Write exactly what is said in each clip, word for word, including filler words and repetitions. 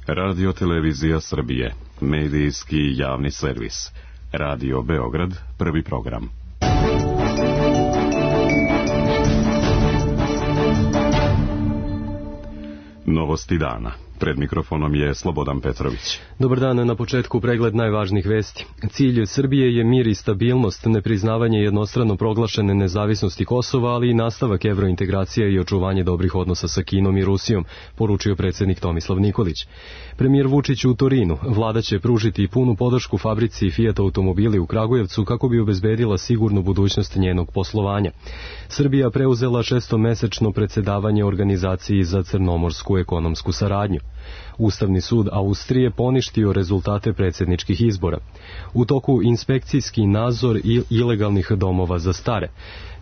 Radio Televizija Srbije, medijski javni servis. Radio Beograd, prvi program. Novosti dana. Pred mikrofonom je Slobodan Petrović. Dobar dan, na početku pregled najvažnijih vesti. Cilj Srbije je mir i stabilnost, nepriznavanje jednostrano proglašene nezavisnosti Kosova, ali i nastavak evrointegracije i očuvanje dobrih odnosa sa Kinom i Rusijom, poručio predsjednik Tomislav Nikolić. Premijer Vučić u Torinu. Vlada će pružiti punu podršku fabrici Fiat automobili u Kragujevcu kako bi obezbedila sigurnu budućnost njenog poslovanja. Srbija preuzela šestomesečno predsjedavanje organizaciji za crnomorsku ekonomsku saradnju. Ustavni sud Austrije poništio rezultate predsjedničkih izbora. U toku inspekcijski nadzor ilegalnih domova za stare.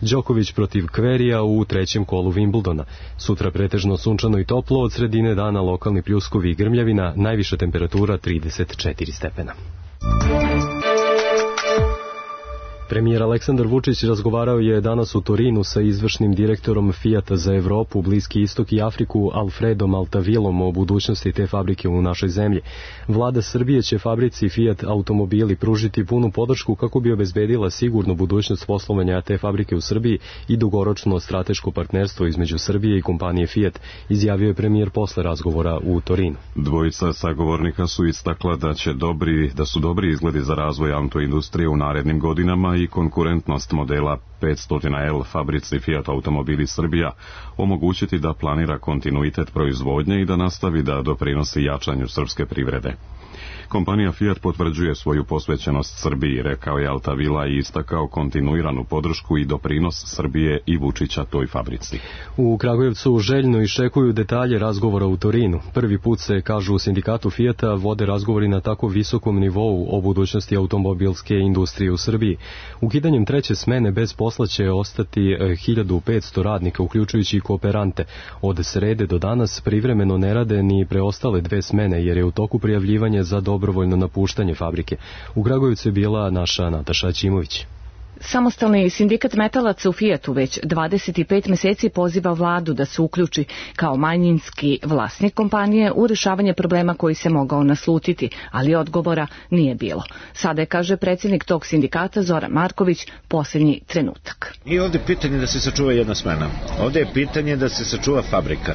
Đoković protiv Kverija u trećem kolu Wimbledona. Sutra pretežno sunčano i toplo, od sredine dana lokalni pljuskovi i grmljavina, najviša temperatura trideset četiri stepena. Premijer Aleksandar Vučić razgovarao je danas u Torinu sa izvršnim direktorom Fiata za Evropu, Bliski istok i Afriku Alfredom Altavilom o budućnosti te fabrike u našoj zemlji. Vlada Srbije će fabrici Fiat automobili pružiti punu podršku kako bi obezbedila sigurnu budućnost poslovanja te fabrike u Srbiji i dugoročno strateško partnerstvo između Srbije i kompanije Fiat, izjavio je premijer posle razgovora u Torinu. Dvojica sagovornika su istakla da će dobri, da su dobri izgledi za razvoj autoindustrije u narednim godinama i konkurentnost modela petsto L fabrici Fiat automobili Srbija omogućiti da planira kontinuitet proizvodnje i da nastavi da doprinosi jačanju srpske privrede. Kompanija Fiat potvrđuje svoju posvećenost Srbiji, rekao je Altavila i istakao kontinuiranu podršku i doprinos Srbije i Vučića toj fabrici. U Kragujevcu željno iščekuju detalje razgovora u Torinu. Prvi put se, kažu u sindikatu Fiata, vode razgovori na tako visokom nivou o budućnosti automobilske industrije u Srbiji. Ukidanjem treće smene bez posla će ostati hiljadu petsto radnika, uključujući i kooperante. Od srede do danas privremeno ne rade ni preostale dve smene, jer je u toku prijavljivanje za dobrovoljno napuštanje fabrike. U Kragujevcu je bila naša Nataša Ćimović. Samostalni sindikat metalaca u Fiatu već dvadeset pet meseci poziva vladu da se uključi kao manjinski vlasnik kompanije u rješavanje problema koji se mogao naslutiti, ali odgovora nije bilo. Sada je, kaže predsjednik tog sindikata Zoran Marković, posljednji trenutak. I ovdje je pitanje da se sačuva jedna smena. Ovdje je pitanje da se sačuva fabrika.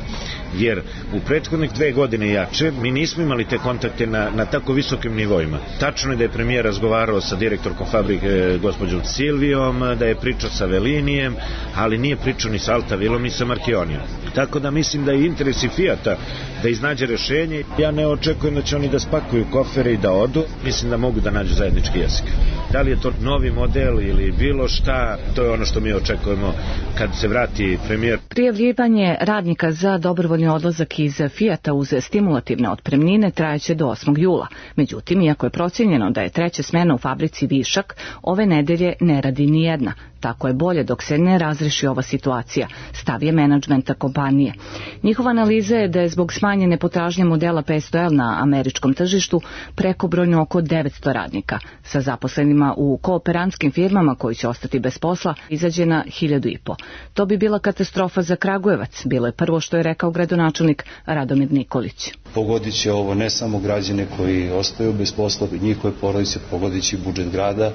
Jer u prethodnih dve godine jače mi nismo imali te kontakte na, na tako visokim nivoima. Tačno je da je premijer razgovarao sa direktorkom fabrike gospođom Silvijom, da je pričao sa Velinijem, ali nije pričao ni sa Altavilom ni sa Markionijom. Tako da mislim da je interes i Fiata da iznađe rješenje. Ja ne očekujem da će oni da spakuju kofere i da odu. Mislim da mogu da nađu zajednički jezik. Da li je to novi model ili bilo šta, to je ono što mi očekujemo kad se vrati premijer. Prijavljivanje radnika za dobrovoljni odlazak iz Fiata uz stimulativne otpremnine trajeće do osmog jula. Međutim, iako je procijenjeno da je treća smena u fabrici višak, ove nedelje ne radi ni jedna. Tako je bolje dok se ne razreši ova situacija, stav je menadžmenta kompanije. Njihova analiza je da je zbog smanjene potražnje modela petsto L na američkom tržištu prekobrojno oko devetsto radnika. Sa zaposlenima u kooperantskim firmama koji će ostati bez posla izađe na hiljadu i po. To bi bila katastrofa za Kragujevac, bilo je prvo što je rekao gradonačelnik Radomir Nikolić. Pogodit će ovo ne samo građane koji ostaju bez posla, njihove porodice, pogodit će budžet grada,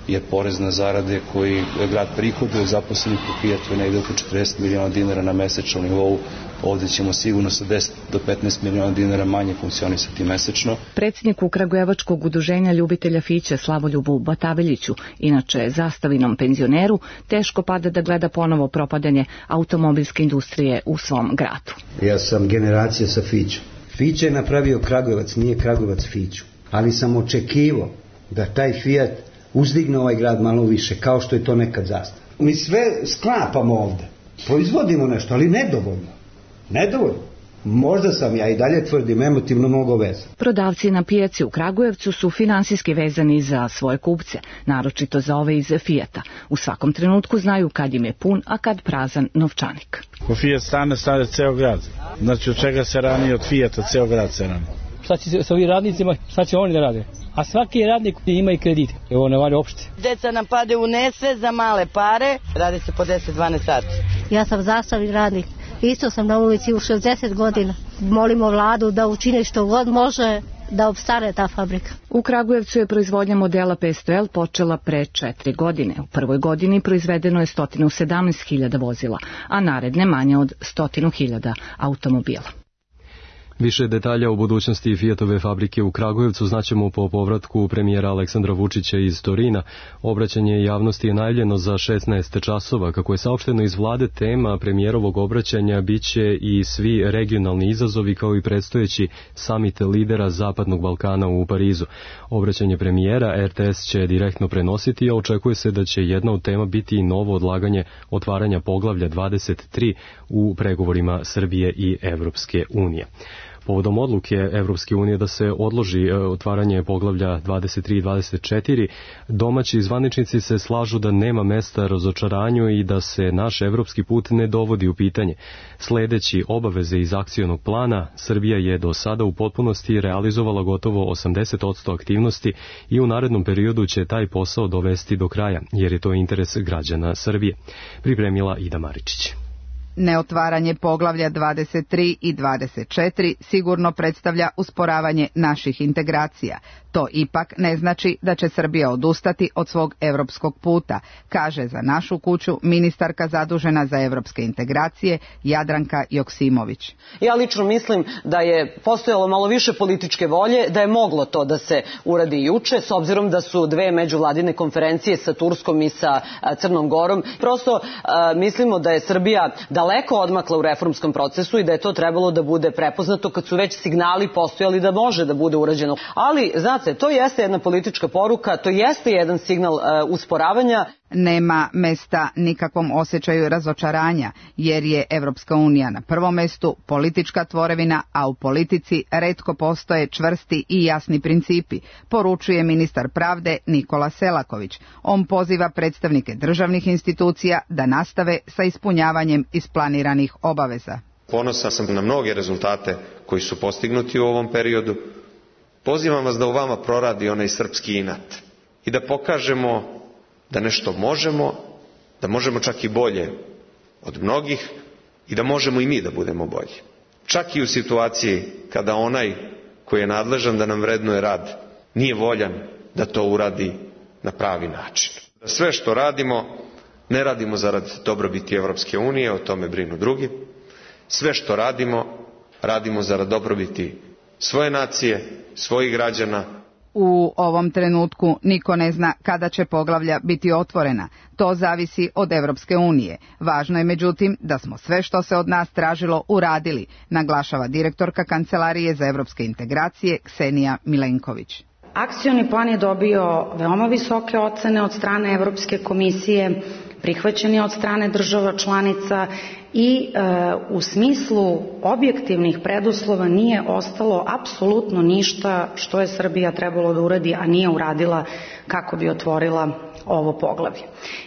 jer porez na zarade koji grad prihoduje zaposlenih u Fiatu je negdje oko četrdeset miliona dinara na mesečnom nivou. Ovdje ćemo sigurno sa deset do petnaest miliona dinara manje funkcionisati mesečno. Predsjedniku Kragujevačkog udruženja ljubitelja Fiće Slavoljubu Bataveljiću, inače zastavinom penzioneru, teško pada da gleda ponovo propadanje automobilske industrije u svom gradu. Ja sam generacija sa Fićom. Fiće je napravio Kragujevac, nije Kragujevac Fiću. Ali sam očekivao da taj Fiat uzdigne ovaj grad malo više, kao što je to nekad zastav. Mi sve sklapamo ovdje, proizvodimo nešto, ali nedovoljno. Nedovoljno. Možda sam, ja i dalje tvrdim, emotivno mnogo vezan. Prodavci na pijaci u Kragujevcu su finansijski vezani za svoje kupce, naročito za ove iz Fiata. U svakom trenutku znaju kad im je pun, a kad prazan novčanik. Ko Fiat stane, stane ceo grad. Znači od čega se rani, od Fiata ceo grad se rani. Šta će sa ovim radnicima, šta će oni da rade? A svaki radnik ima i kredit, evo ne valja opšte. Deca nam pade u nesve za male pare, radi se po deset do dvanaest sati. Ja sam zastavni radnik Isto sam na ulici u šezdeset godina. Molimo vladu da učine što god može da opstane ta fabrika. U Kragujevcu je proizvodnja modela petsto L počela pre četiri godine. U prvoj godini proizvedeno je sto sedamnaest hiljada vozila, a naredne manje od sto hiljada automobila. Više detalja o budućnosti Fiatove fabrike u Kragujevcu znaćemo po povratku premijera Aleksandra Vučića iz Torina. Obraćanje javnosti je najavljeno za šesnaest časova. Kako je saopšteno iz vlade, tema premijerovog obraćanja biće i svi regionalni izazovi kao i predstojeći samit lidera Zapadnog Balkana u Parizu. Obraćanje premijera R T S će direktno prenositi, a očekuje se da će jedna od tema biti i novo odlaganje otvaranja poglavlja dvadeset tri u pregovorima Srbije i Evropske unije. Povodom odluke Evropske unije da se odloži otvaranje poglavlja dvadeset tri i dvadeset četiri, domaći zvaničnici se slažu da nema mesta razočaranju i da se naš evropski put ne dovodi u pitanje. Sledeći obaveze iz akcionog plana, Srbija je do sada u potpunosti realizovala gotovo osamdeset posto aktivnosti i u narednom periodu će taj posao dovesti do kraja, jer je to interes građana Srbije. Pripremila Ida Maričić. Neotvaranje poglavlja dvadeset tri i dvadeset četiri sigurno predstavlja usporavanje naših integracija. To ipak ne znači da će Srbija odustati od svog evropskog puta, kaže za našu kuću ministarka zadužena za evropske integracije Jadranka Joksimović. Ja lično mislim da je postojalo malo više političke volje, da je moglo to da se uradi juče, s obzirom da su dve međuvladine konferencije sa Turskom i sa Crnom Gorom. Prosto a, mislimo da je Srbija daleko odmakla u reformskom procesu i da je to trebalo da bude prepoznato kad su već signali postojali da može da bude urađeno. Ali, znate, to jeste jedna politička poruka, to jeste jedan signal uh, usporavanja. Nema mesta nikakvom osjećaju razočaranja, jer je Evropska unija na prvom mestu politička tvorevina, a u politici retko postoje čvrsti i jasni principi, poručuje ministar pravde Nikola Selaković. On poziva predstavnike državnih institucija da nastave sa ispunjavanjem isplaniranih obaveza. Ponosan sam na mnoge rezultate koji su postignuti u ovom periodu. Pozivam vas da u vama proradi onaj srpski inat i da pokažemo da nešto možemo, da možemo čak i bolje od mnogih i da možemo i mi da budemo bolji. Čak i u situaciji kada onaj koji je nadležan da nam vrednuje rad nije voljan da to uradi na pravi način. Da sve što radimo ne radimo zarad dobrobiti Evropske unije, o tome brinu drugi. Sve što radimo, radimo zarad dobrobiti svoje nacije, svojih građana. U ovom trenutku niko ne zna kada će poglavlja biti otvorena. To zavisi od Evropske unije. Važno je međutim da smo sve što se od nas tražilo uradili, naglašava direktorka Kancelarije za evropske integracije Ksenija Milenković. Akcioni plan je dobio veoma visoke ocene od strane Evropske komisije, prihvaćen je od strane država članica i e, u smislu objektivnih preduslova nije ostalo apsolutno ništa što je Srbija trebalo da uradi, a nije uradila kako bi otvorila ovo poglavlje.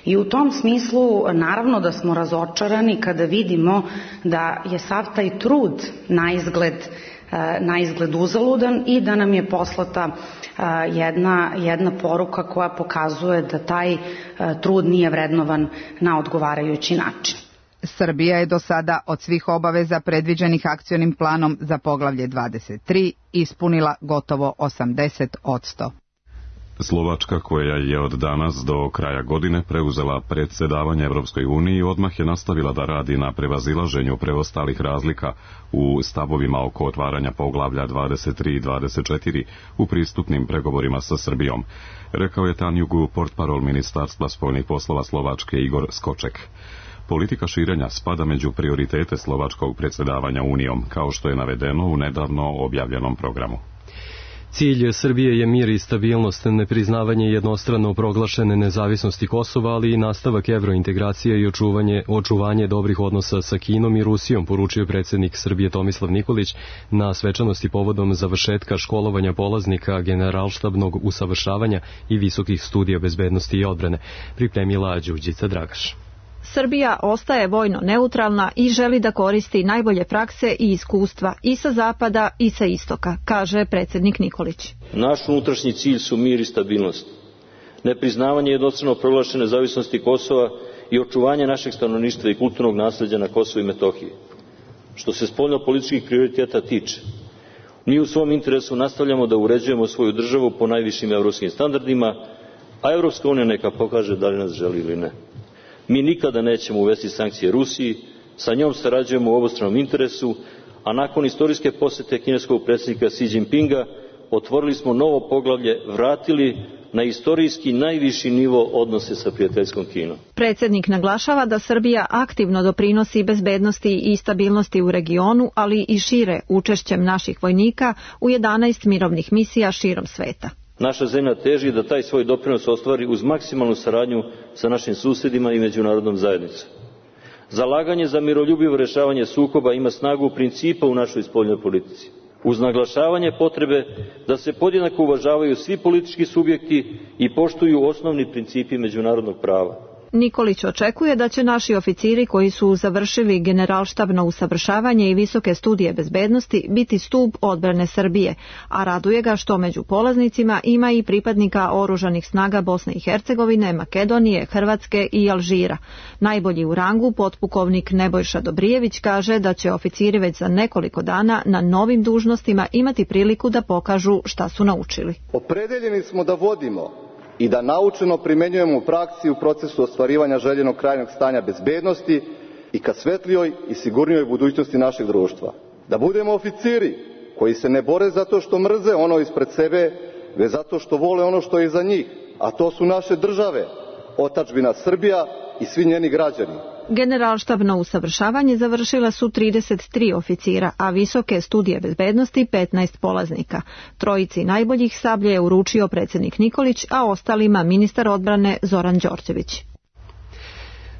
I u tom smislu naravno da smo razočarani kada vidimo da je sav taj trud na izgled, e, na izgled uzaludan i da nam je poslata Jedna, jedna poruka koja pokazuje da taj trud nije vrednovan na odgovarajući način. Srbija je do sada od svih obaveza predviđenih akcionim planom za poglavlje dvadeset tri ispunila gotovo osamdeset posto. Slovačka, koja je od danas do kraja godine preuzela predsjedavanje Evropskoj uniji, odmah je nastavila da radi na prevazilaženju preostalih razlika u stavovima oko otvaranja poglavlja dvadeset tri i dvadeset četiri u pristupnim pregovorima sa Srbijom, rekao je Tanjugu portparol Ministarstva spoljnih poslova Slovačke Igor Skoček. Politika širenja spada među prioritete slovačkog predsjedavanja Unijom, kao što je navedeno u nedavno objavljenom programu. Cilj Srbije je mir i stabilnost, nepriznavanje jednostrano proglašene nezavisnosti Kosova, ali i nastavak evrointegracije i očuvanje, očuvanje dobrih odnosa sa Kinom i Rusijom, poručio predsjednik Srbije Tomislav Nikolić na svečanosti povodom završetka školovanja polaznika generalštabnog usavršavanja i visokih studija bezbednosti i odbrane, pripremila Đurđica Dragaš. Srbija ostaje vojno neutralna i želi da koristi najbolje prakse i iskustva i sa zapada i sa istoka, kaže predsjednik Nikolić. Naš unutrašnji cilj su mir i stabilnost, nepriznavanje jednostrano proglašene nezavisnosti Kosova i očuvanje našeg stanovništva i kulturnog nasleđa na Kosovu i Metohiji. Što se spoljnopolitičkih prioriteta tiče, mi u svom interesu nastavljamo da uređujemo svoju državu po najvišim evropskim standardima, a Evropska unija neka pokaže da li nas želi ili ne. Mi nikada nećemo uvesti sankcije Rusiji, sa njom sarađujemo u obostranom interesu, a nakon istorijske posete kineskog predsjednika Xi Jinpinga otvorili smo novo poglavlje, vratili na istorijski najviši nivo odnose sa prijateljskom Kinom. Predsjednik naglašava da Srbija aktivno doprinosi bezbednosti i stabilnosti u regionu, ali i šire učešćem naših vojnika u jedanaest mirovnih misija širom sveta. Naša zemlja teži da taj svoj doprinos ostvari uz maksimalnu saradnju sa našim susjedima i međunarodnom zajednicom. Zalaganje za miroljubivo rješavanje sukoba ima snagu principa u našoj spoljnoj politici, uz naglašavanje potrebe da se podjednako uvažavaju svi politički subjekti i poštuju osnovni principi međunarodnog prava. Nikolić očekuje da će naši oficiri koji su završili generalštabno usavršavanje i visoke studije bezbednosti biti stup odbrane Srbije, a raduje ga što među polaznicima ima i pripadnika oružanih snaga Bosne i Hercegovine, Makedonije, Hrvatske i Alžira. Najbolji u rangu, potpukovnik Nebojša Dobrijević, kaže da će oficiri već za nekoliko dana na novim dužnostima imati priliku da pokažu šta su naučili. Opredeljeni smo da vodimo i da naučeno primenjujemo u praksi u procesu ostvarivanja željenog krajnjeg stanja bezbednosti i ka svetlijoj i sigurnijoj budućnosti našeg društva. Da budemo oficiri koji se ne bore zato što mrze ono ispred sebe, već zato što vole ono što je iza njih, a to su naše države, otadžbina Srbija i svi njeni građani. Generalštabno usavršavanje završila su trideset tri oficira, a visoke studije bezbednosti petnaest polaznika. Trojici najboljih sablje je uručio predsjednik Nikolić, a ostalima ministar odbrane Zoran Đorđević.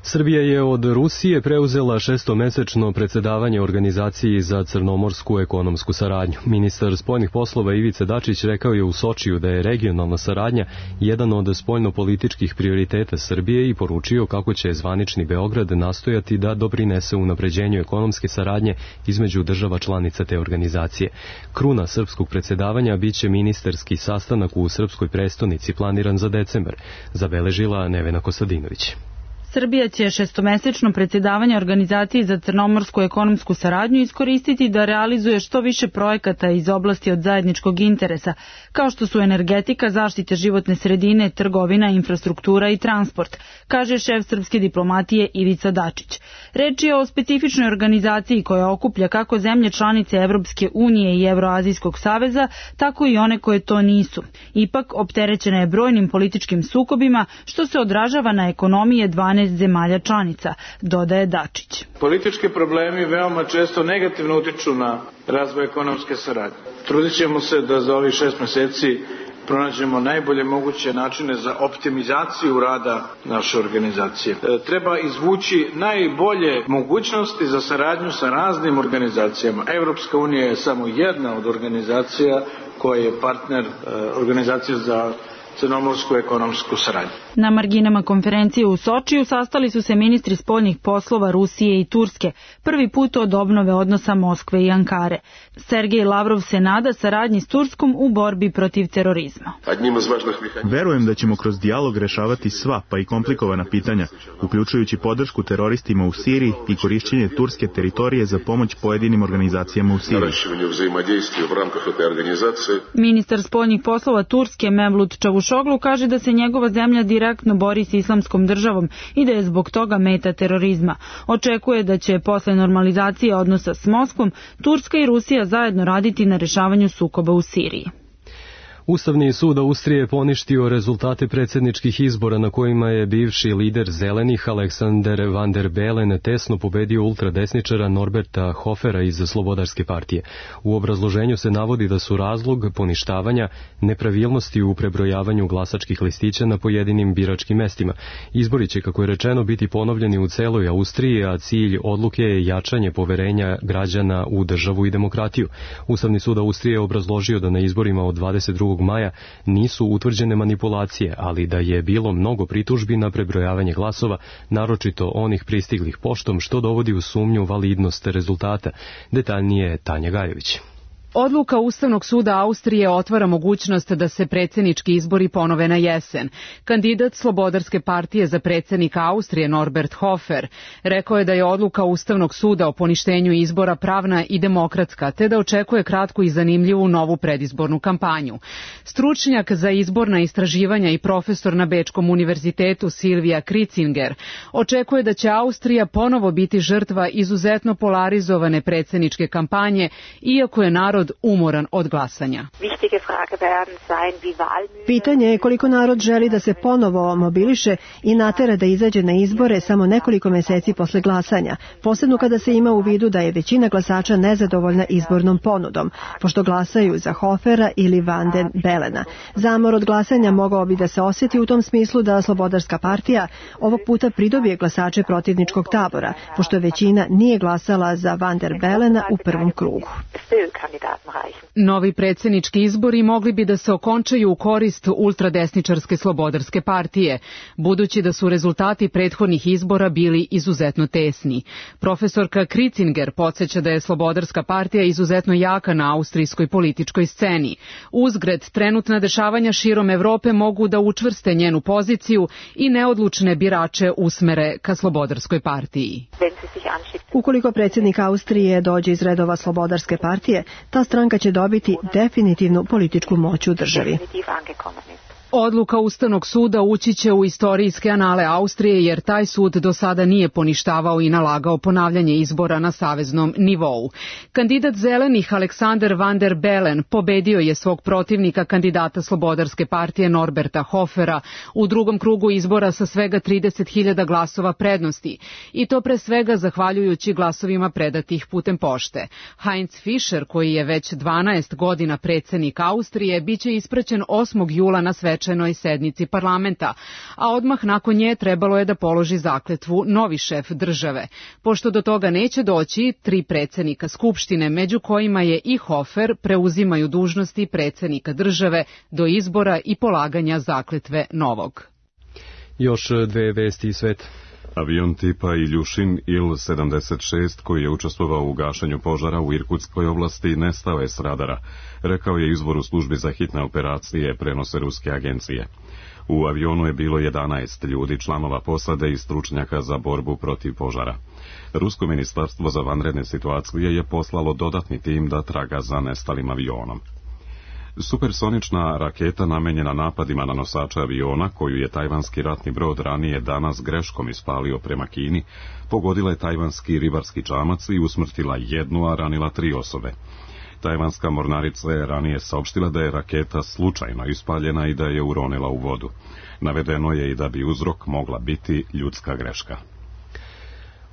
Srbija je od Rusije preuzela šestomesečno predsjedavanje Organizaciji za crnomorsku ekonomsku saradnju. Ministar spoljnih poslova Ivica Dačić rekao je u Sočiju da je regionalna saradnja jedan od spoljnopolitičkih prioriteta Srbije i poručio kako će zvanični Beograd nastojati da doprinese unapređenju ekonomske saradnje između država članica te organizacije. Kruna srpskog predsjedavanja biće ministarski sastanak u srpskoj prestonici planiran za decembar, zabeležila Nevena Kostadinović. Srbija će šestomesečno predsjedavanje Organizaciji za crnomorsku ekonomsku saradnju iskoristiti da realizuje što više projekata iz oblasti od zajedničkog interesa, kao što su energetika, zaštita životne sredine, trgovina, infrastruktura i transport, kaže šef srpske diplomatije Ivica Dačić. Reč je o specifičnoj organizaciji koja okuplja kako zemlje članice Evropske unije i Evroazijskog saveza, tako i one koje to nisu. Ipak, opterećena je brojnim političkim sukobima, što se odražava na ekonomije dvanaest zemalja članica, dodaje Dačić. Politički problemi veoma često negativno utiču na razvoj ekonomske saradnje. Trudit ćemo se da za ovih šest meseci pronađemo najbolje moguće načine za optimizaciju rada naše organizacije. E, treba izvući najbolje mogućnosti za saradnju sa raznim organizacijama. Evropska unija je samo jedna od organizacija koja je partner e, organizacije za crnomorsku ekonomsku saradnju. Na marginama konferencije u Sočiju sastali su se ministri spoljnih poslova Rusije i Turske, prvi put od obnove odnosa Moskve i Ankare. Sergej Lavrov se nada saradnji s Turskom u borbi protiv terorizma. Verujem da ćemo kroz dijalog rešavati sva, pa i komplikovana pitanja, uključujući podršku teroristima u Siriji i korišćenje turske teritorije za pomoć pojedinim organizacijama u Siriji. Ministar spoljnih poslova Turske Mevlut Čavušoglu kaže da se njegova zemlja direktno bori s islamskom državom i da je zbog toga meta terorizma. Očekuje da će posle normalizacije odnosa s Moskvom Turska i Rusija zajedno raditi na rešavanju sukoba u Siriji. Ustavni sud Austrije poništio rezultate predsjedničkih izbora na kojima je bivši lider zelenih Alexander van der Bellen tesno pobedio ultradesničara Norberta Hofera iz Slobodarske partije. U obrazloženju se navodi da su razlog poništavanja nepravilnosti u prebrojavanju glasačkih listića na pojedinim biračkim mestima. Izbori će, kako je rečeno, biti ponovljeni u celoj Austriji, a cilj odluke je jačanje poverenja građana u državu i demokratiju. Ustavni sud Austrije je obrazložio da na izborima od dvadeset drugog maja nisu utvrđene manipulacije, ali da je bilo mnogo pritužbi na prebrojavanje glasova, naročito onih pristiglih poštom, što dovodi u sumnju validnost rezultata. Detaljnije Tanja Gajević. Odluka Ustavnog suda Austrije otvara mogućnost da se predsjednički izbori ponove na jesen. Kandidat Slobodarske partije za predsjednika Austrije Norbert Hofer rekao je da je odluka Ustavnog suda o poništenju izbora pravna i demokratska, te da očekuje kratku i zanimljivu novu predizbornu kampanju. Stručnjak za izborna istraživanja i profesor na Bečkom univerzitetu Silvija Kricinger očekuje da će Austrija ponovo biti žrtva izuzetno polarizovane predsjedničke kampanje, iako je narod umoran od glasanja. Pitanje je koliko narod želi da se ponovo mobiliše i natera da izađe na izbore samo nekoliko meseci posle glasanja, posebno kada se ima u vidu da je većina glasača nezadovoljna izbornom ponudom, pošto glasaju za Hofera ili Van den Belena. Zamor od glasanja mogao bi da se osjeti u tom smislu da Slobodarska partija ovog puta pridobije glasače protivničkog tabora, pošto većina nije glasala za Van der Belena u prvom krugu. Novi predsjednički izbori mogli bi da se okončaju u korist ultradesničarske Slobodarske partije, budući da su rezultati prethodnih izbora bili izuzetno tesni. Profesorka Kricinger podsjeća da je Slobodarska partija izuzetno jaka na austrijskoj političkoj sceni. Uzgred, trenutna dešavanja širom Evrope mogu da učvrste njenu poziciju i neodlučne birače usmere ka Slobodarskoj partiji. Ukoliko predsjednik Austrije dođe iz redova Slobodarske partije, ta stranka će dobiti definitivnu političku moć u državi. Odluka Ustavnog suda ući će u istorijske anale Austrije, jer taj sud do sada nije poništavao i nalagao ponavljanje izbora na saveznom nivou. Kandidat zelenih Alexander Van der Bellen pobedio je svog protivnika, kandidata Slobodarske partije Norberta Hofera, u drugom krugu izbora sa svega trideset hiljada glasova prednosti, i to pre svega zahvaljujući glasovima predatih putem pošte. Heinz Fischer, koji je već dvanaest godina predsjednik Austrije, biće ispraćen osmog jula na svečanoj sednici parlamenta, a odmah nakon nje trebalo je da položi zakletvu novi šef države. Pošto do toga neće doći, tri predsjednika Skupštine, među kojima je i Hofer, preuzimaju dužnosti predsjednika države do izbora i polaganja zakletve novog. Još dve vesti iz sveta. Avion tipa Iljušin Il sedamdeset šest koji je učestvovao u gašenju požara u Irkutskoj oblasti nestao je s radara, rekao je izvor u službi za hitne operacije, prenose ruske agencije. U avionu je bilo jedanaest ljudi, članova posade i stručnjaka za borbu protiv požara. Rusko ministarstvo za vanredne situacije je poslalo dodatni tim da traga za nestalim avionom. Supersonična raketa namenjena napadima na nosača aviona, koju je tajvanski ratni brod ranije danas greškom ispalio prema Kini, pogodila je tajvanski ribarski čamac i usmrtila jednu, a ranila tri osobe. Tajvanska mornarica je ranije saopštila da je raketa slučajno ispaljena i da je uronila u vodu. Navedeno je i da bi uzrok mogla biti ljudska greška.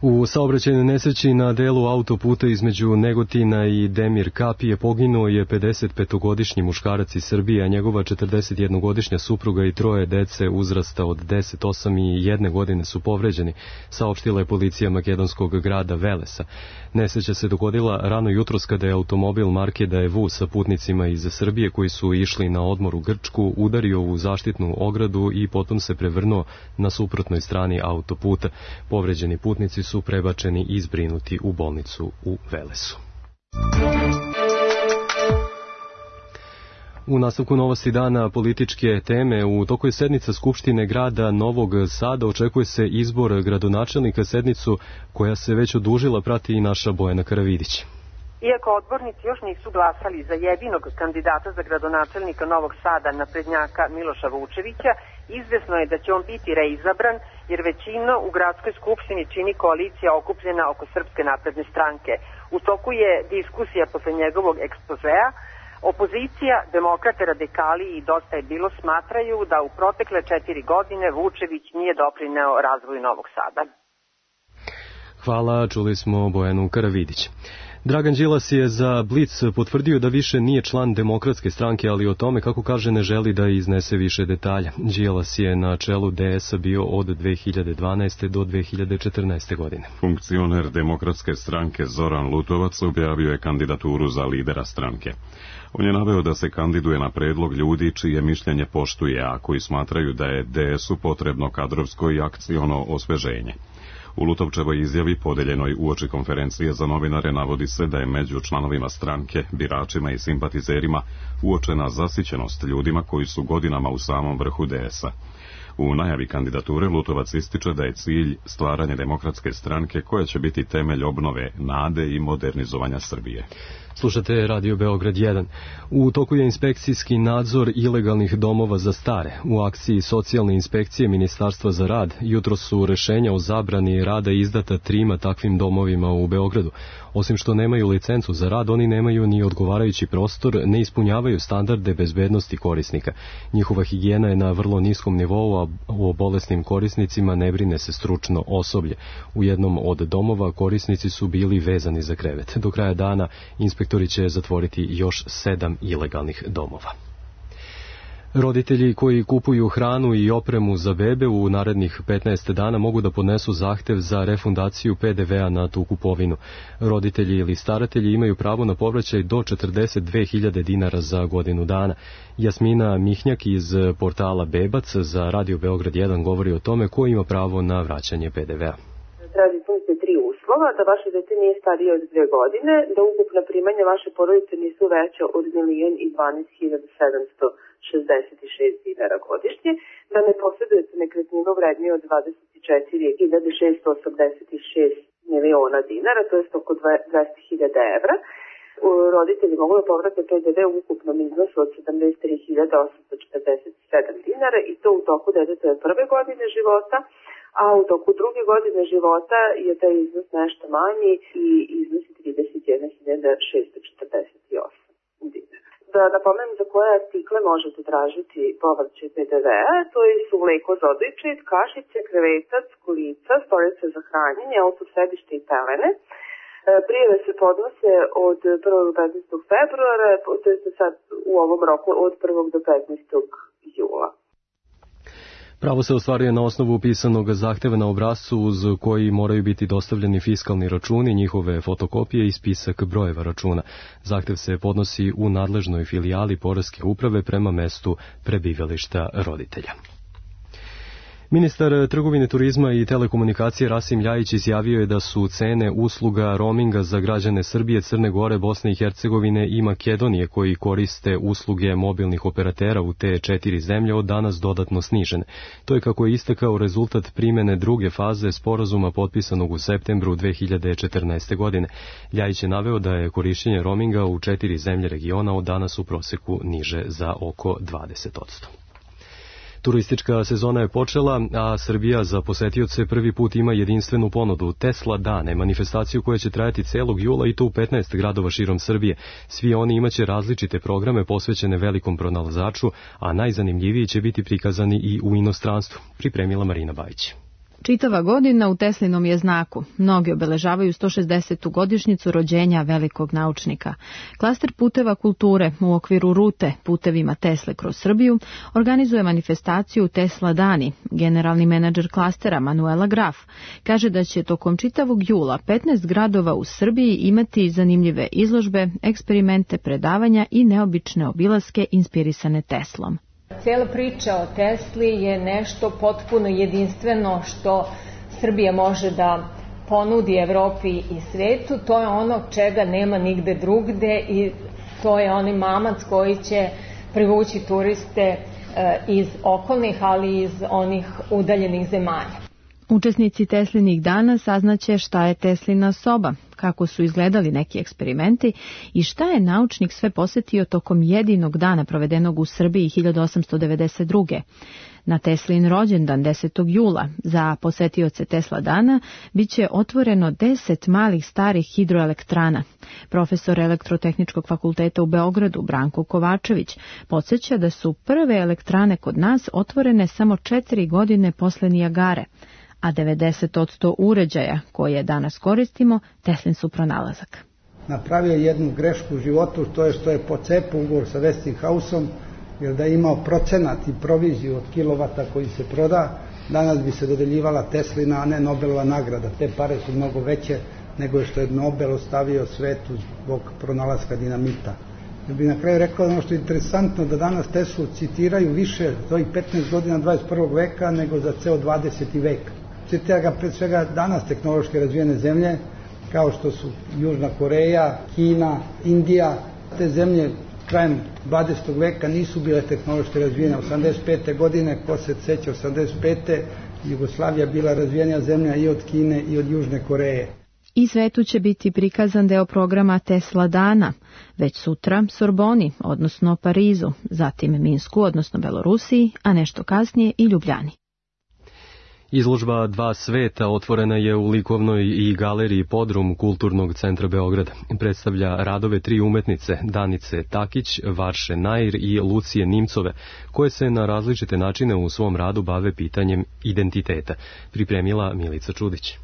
U saobraćajnoj nesreći na delu autoputa između Negotina i Demir Kapije poginuo je pedesetpetogodišnji muškarac iz Srbije, a njegova četrdesetjednogodišnja supruga i troje dece uzrasta od deset, osam i jedne godine su povređeni, saopštila je policija makedonskog grada Velesa. Nesreća se dogodila rano jutros kada je automobil marke Daewoo sa putnicima iz Srbije koji su išli na odmor u Grčku udario u zaštitnu ogradu i potom se prevrnuo na suprotnoj strani autoputa. Povređeni putnici su prebačeni i zbrinuti u bolnicu u Velesu. U nastavku novosti dana političke teme, u toku je sednica Skupštine grada Novog Sada, očekuje se izbor gradonačelnika, sednicu koja se već odužila prati i naša Bojana Karavidić. Iako odbornici još nisu glasali za jedinog kandidata za gradonačelnika Novog Sada, naprednjaka Miloša Vučevića, izvesno je da će on biti reizabran, jer većina u gradskoj skupštini čini koalicija okupljena oko Srpske napredne stranke. U toku je diskusija posle njegovog ekspozea. Opozicija, demokrate, radikali i Dosta je bilo smatraju da u protekle četiri godine Vučević nije doprineo razvoju Novog Sada. Hvala, čuli smo Bojanu Karavidić. Dragan Đilas je za Blic potvrdio da više nije član Demokratske stranke, ali o tome, kako kaže, ne želi da iznese više detalja. Đilas je na čelu D S-a bio od dve hiljade dvanaeste. do dve hiljade četrnaeste. godine. Funkcioner Demokratske stranke Zoran Lutovac objavio je kandidaturu za lidera stranke. On je naveo da se kandiduje na predlog ljudi čije mišljenje poštuje, a koji smatraju da je D S-u potrebno kadrovsko i akciono osveženje. U Lutovčevoj izjavi podeljenoj uoči konferencije za novinare navodi se da je među članovima stranke, biračima i simpatizerima uočena zasićenost ljudima koji su godinama u samom vrhu D S A. U najavi kandidature Lutovac ističe da je cilj stvaranje demokratske stranke koja će biti temelj obnove, nade i modernizovanja Srbije. Slušate Radio Beograd jedan. U toku je inspekcijski nadzor ilegalnih domova za stare. U akciji socijalne inspekcije Ministarstva za rad jutro su rešenja o zabrani rada izdata trima takvim domovima u Beogradu. Osim što nemaju licencu za rad, oni nemaju ni odgovarajući prostor, ne ispunjavaju standarde bezbednosti korisnika. Njihova higijena je na vrlo niskom nivou, a o bolesnim korisnicima ne brine se stručno osoblje. U jednom od domova korisnici su bili vezani za krevet. Do kraja dana inspektori će zatvoriti još sedam ilegalnih domova. Roditelji koji kupuju hranu i opremu za bebe u narednih petnaest dana mogu da podnesu zahtev za refundaciju P D V-a na tu kupovinu. Roditelji ili staratelji imaju pravo na povraćaj do četrdeset dve hiljade dinara za godinu dana. Jasmina Mihnjak iz portala Bebac za Radio Beograd jedan govori o tome ko ima pravo na vraćanje P D V-a. Da vaše dete nije starije od dve godine, da ukupna primanja vaše porodice nisu veća od milion i dvanaest hiljada sedamsto šezdeset šest dinara godišnje, da ne posjedujete nekretninu vredniju od dvadeset četiri hiljade šeststo osamdeset šest miliona dinara, to je oko dvesta hiljada evra. Roditelji mogu da povrate P D V u ukupnom iznosu od sedamdeset tri hiljade osamsto četrdeset sedam dinara i to u toku detetove prve godine života, a u toku druge godine života je taj iznos nešto manji i iznosi trideset jedna hiljada šeststo četrdeset osam dinara. Da napomenem za koje artikle možete tražiti povraćaj P D V-a, to su mleko za odojčit, kašice, krevetac, kolica, stolice za hranjenje, autosedište i pelene. Prijave se podnose od prvog do petnaestog februara, to je sad u ovom roku od prvog do petnaestog jula. Pravo se ostvaruje na osnovu pisanog zahteva na obrascu uz koji moraju biti dostavljeni fiskalni računi, njihove fotokopije i spisak brojeva računa. Zahtev se podnosi u nadležnoj filijali Poreske uprave prema mestu prebivališta roditelja. Ministar trgovine, turizma i telekomunikacije Rasim Ljajić izjavio je da su cene usluga roaminga za građane Srbije, Crne Gore, Bosne i Hercegovine i Makedonije koji koriste usluge mobilnih operatera u te četiri zemlje od danas dodatno snižene. To je, kako je istakao, rezultat primene druge faze sporazuma potpisanog u septembru dve hiljade četrnaeste. godine. Ljajić je naveo da je korišćenje roaminga u četiri zemlje regiona od danas u proseku niže za oko dvadeset posto. Turistička sezona je počela, a Srbija za posetioce prvi put ima jedinstvenu ponudu Tesla dane, manifestaciju koja će trajati celog jula i to u petnaest gradova širom Srbije. Svi oni imaće različite programe posvećene velikom pronalazaču, a najzanimljiviji će biti prikazani i u inostranstvu, pripremila Marina Bajić. Čitava godina u Teslinom je znaku. Mnogi obeležavaju sto šezdesetu godišnjicu rođenja velikog naučnika. Klaster puteva kulture u okviru rute Putevima Tesle kroz Srbiju organizuje manifestaciju Tesla dani. Generalni menadžer klastera Manuela Graf kaže da će tokom čitavog jula petnaest gradova u Srbiji imati zanimljive izložbe, eksperimente, predavanja i neobične obilaske inspirisane Teslom. Cijela priča o Tesli je nešto potpuno jedinstveno što Srbija može da ponudi Evropi i svetu. To je ono čega nema nigde drugde i to je onaj mamac koji će privući turiste iz okolnih, ali i iz onih udaljenih zemalja. Učesnici Teslinih dana saznaće šta je Teslina soba, kako su izgledali neki eksperimenti i šta je naučnik sve posetio tokom jedinog dana provedenog u Srbiji hiljadu osamsto devedeset druge. Na Teslin rođendan desetog jula za posetioce Tesla dana biće otvoreno deset malih starih hidroelektrana. Profesor Elektrotehničkog fakulteta u Beogradu Branko Kovačević podsjeća da su prve elektrane kod nas otvorene samo četiri godine posle Nijagare, a devedeset posto uređaja koje danas koristimo Teslin su pronalazak. Napravio jednu grešku u životu, to je što je pocepao ugovor sa Westinghouseom, jer da je imao procenat i proviziju od kilovata koji se proda, danas bi se dodeljivala Teslina, a ne Nobelova nagrada. Te pare su mnogo veće nego što je Nobel ostavio svetu zbog pronalaska dinamita. Ja bih na kraju rekao ono što je interesantno, da danas Teslu citiraju više za ovih petnaest godina dvadeset prvog veka nego za ceo dvadeseti vek. Citira ga pred svega danas tehnološki razvijene zemlje, kao što su Južna Koreja, Kina, Indija. Te zemlje krajem dvadesetog veka nisu bile tehnološki razvijene. osamdeset pete godine, ko se seća osamdeset pete Jugoslavija bila razvijenija zemlja i od Kine i od Južne Koreje. I svetu će biti prikazan deo programa Tesla dana, već sutra Sorboni, odnosno Parizu, zatim Minsku, odnosno Belorusiji, a nešto kasnije i Ljubljani. Izložba Dva sveta otvorena je u likovnoj i galeriji Podrum Kulturnog centra Beograda. Predstavlja radove tri umetnice, Danice Takić, Varše Nair i Lucije Nimcove, koje se na različite načine u svom radu bave pitanjem identiteta. Pripremila Milica Čudić.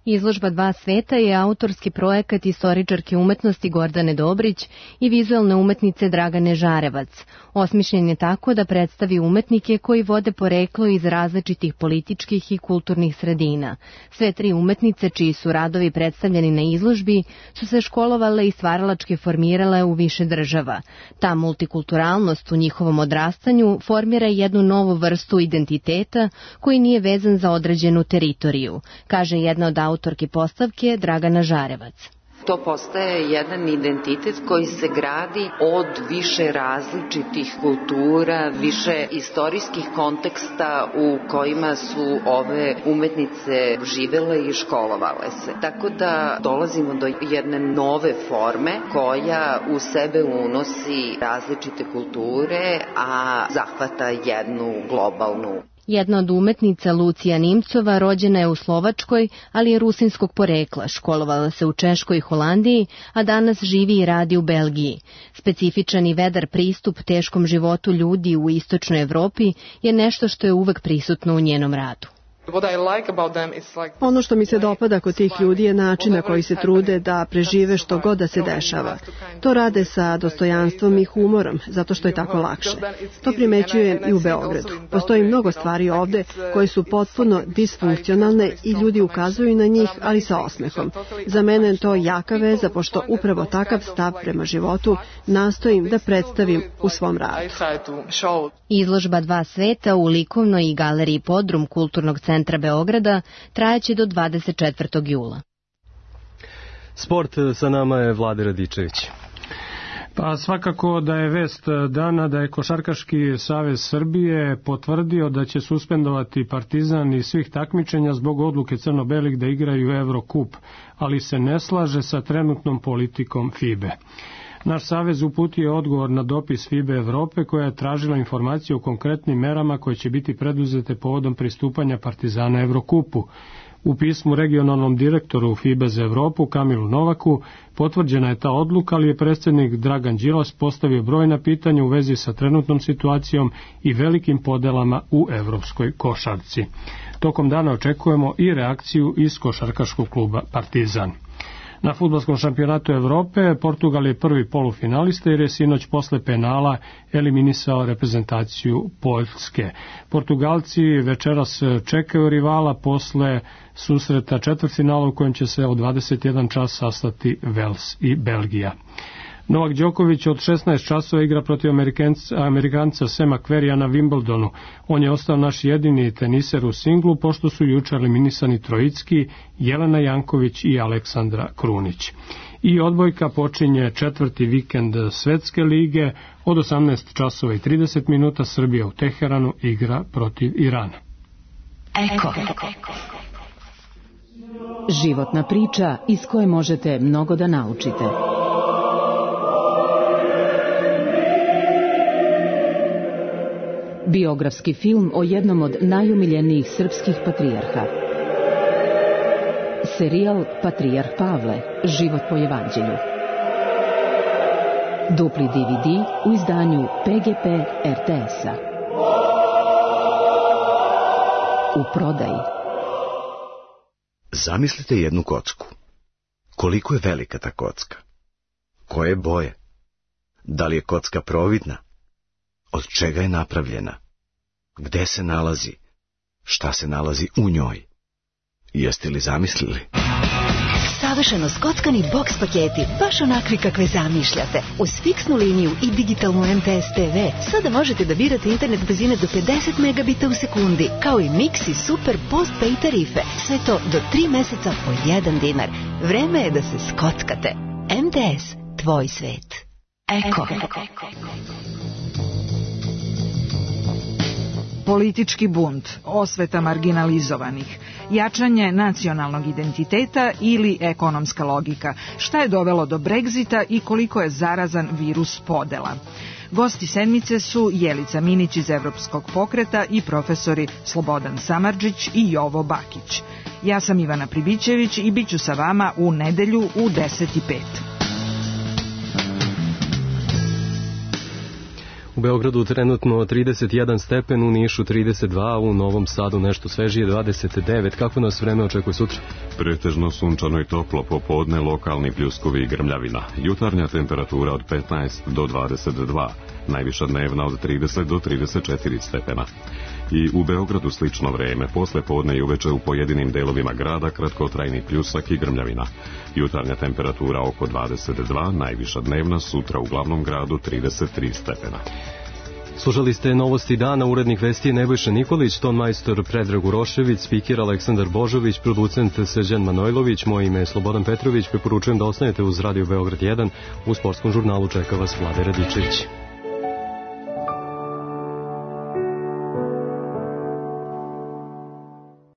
Izložba Dva sveta je autorski projekat istoričarke umetnosti Gordane Dobrić i vizualne umetnice Dragane Žarevac. Osmišljen je tako da predstavi umetnike koji vode poreklo iz različitih političkih i kulturnih sredina. Sve tri umetnice, čiji su radovi predstavljeni na izložbi, su se školovale i stvaralački formirale u više država. Ta multikulturalnost u njihovom odrastanju formira jednu novu vrstu identiteta koji nije vezan za određenu teritoriju, kaže jedna od autorki postavke Dragana Žarevac. To postaje jedan identitet koji se gradi od više različitih kultura, više istorijskih konteksta u kojima su ove umetnice živele i školovale se. Tako da dolazimo do jedne nove forme koja u sebe unosi različite kulture, a zahvata jednu globalnu. Jedna od umetnica, Lucija Nimcova, rođena je u Slovačkoj, ali je rusinskog porekla, školovala se u Češkoj i Holandiji, a danas živi i radi u Belgiji. Specifičan i vedar pristup teškom životu ljudi u istočnoj Evropi je nešto što je uvek prisutno u njenom radu. Ono što mi se dopada kod tih ljudi je način na koji se trude da prežive što god da se dešava. To rade sa dostojanstvom i humorom, zato što je tako lakše. To primećujem i u Beogradu. Postoji mnogo stvari ovde koje su potpuno disfunkcionalne i ljudi ukazuju na njih, ali sa osmehom. Za mene je to jaka veza, pošto upravo takav stav prema životu nastojim da predstavim u svom radu. Izložba Dva sveta u likovnoj i galeriji Podrum Kulturnog centra Beograda trajaće do dvadeset četvrtog jula. Sport, sa nama je Vlade Radičević. Pa svakako da je vest dana da je Košarkaški savez Srbije potvrdio da će suspendovati Partizan iz svih takmičenja zbog odluke crno-belih da igraju Evrokup, ali se ne slaže sa trenutnom politikom FIBE. Naš savez uputio je odgovor na dopis FIBE Evrope koja je tražila informaciju o konkretnim merama koje će biti preduzete povodom pristupanja Partizana Evrokupu. U pismu regionalnom direktoru FIBE za Evropu, Kamilu Novaku, potvrđena je ta odluka, ali je predsjednik Dragan Đilas postavio brojna pitanja u vezi sa trenutnom situacijom i velikim podelama u evropskoj košarci. Tokom dana očekujemo i reakciju iz košarkaškog kluba Partizan. Na fudbalskom šampionatu Evrope Portugal je prvi polufinalista jer je sinoć posle penala eliminisao reprezentaciju Poljske. Portugalci večeras čekaju rivala posle susreta četvrtfinala u kojem će se od dvadeset jedan čas sastati Vels i Belgija. Novak Đoković od šesnaest časova igra protiv Amerikanca Sema Querrya na Wimbledonu. On je ostao naš jedini teniser u singlu, pošto su juče eliminisani Trojicki, Jelena Janković i Aleksandra Krunić. I odbojka počinje četvrti vikend Svetske lige. Od osamnaest časova i trideset minuta Srbija u Teheranu igra protiv Irana. Eko. Životna priča iz koje možete mnogo da naučite. Biografski film o jednom od najumiljenijih srpskih patrijarha. Serijal Patrijarh Pavle, život po evanđelju. Dupli D V D u izdanju P G P R T S-a. U prodaji. Zamislite jednu kocku. Koliko je velika ta kocka? Koje boje? Da li je kocka providna? Od čega je napravljena? Gde se nalazi? Šta se nalazi u njoj? Jeste li zamislili? Savršeno skockani boks paketi, baš onakvi kakve zamišljate. Uz fiksnu liniju i digitalnu M T S T V sada možete da birate internet brzine do pedeset megabita u sekundi, kao i mix i super postpay tarife. Sve to do tri meseca po jedan dinar. Vreme je da se skockate. M T S, tvoj svet. Eko. Politički bunt, osveta marginalizovanih, jačanje nacionalnog identiteta ili ekonomska logika, šta je dovelo do Brexita i koliko je zarazan virus podela. Gosti sedmice su Jelica Minić iz Evropskog pokreta i profesori Slobodan Samardžić i Jovo Bakić. Ja sam Ivana Pribićević i bit ću sa vama u nedelju u deset i pet. U Beogradu trenutno trideset jedan stepen, u Nišu trideset dva, u Novom Sadu nešto svežije dvadeset devet. Kako nas vreme očekuje sutra? Pretežno sunčano i toplo, popodne lokalni pljuskovi i grmljavina. Jutarnja temperatura od petnaest do dvadeset dva, najviša dnevna od trideset do trideset četiri stepena. I u Beogradu slično vreme, posle podne i uveče u pojedinim delovima grada kratkotrajni pljusak i grmljavina. Jutarnja temperatura oko dvadeset dva, najviša dnevna sutra u glavnom gradu trideset tri stepena. Slušali ste novosti dana, urednik vesti je Nebojša Nikolić, ton majstor Predrag Urošević, spiker Aleksandar Božović, producent Srđan Manojlović, moje ime je Slobodan Petrović, preporučujem da ostanete uz Radio Beograd jedan, u sportskom žurnalu čeka vas Vlade Radičević.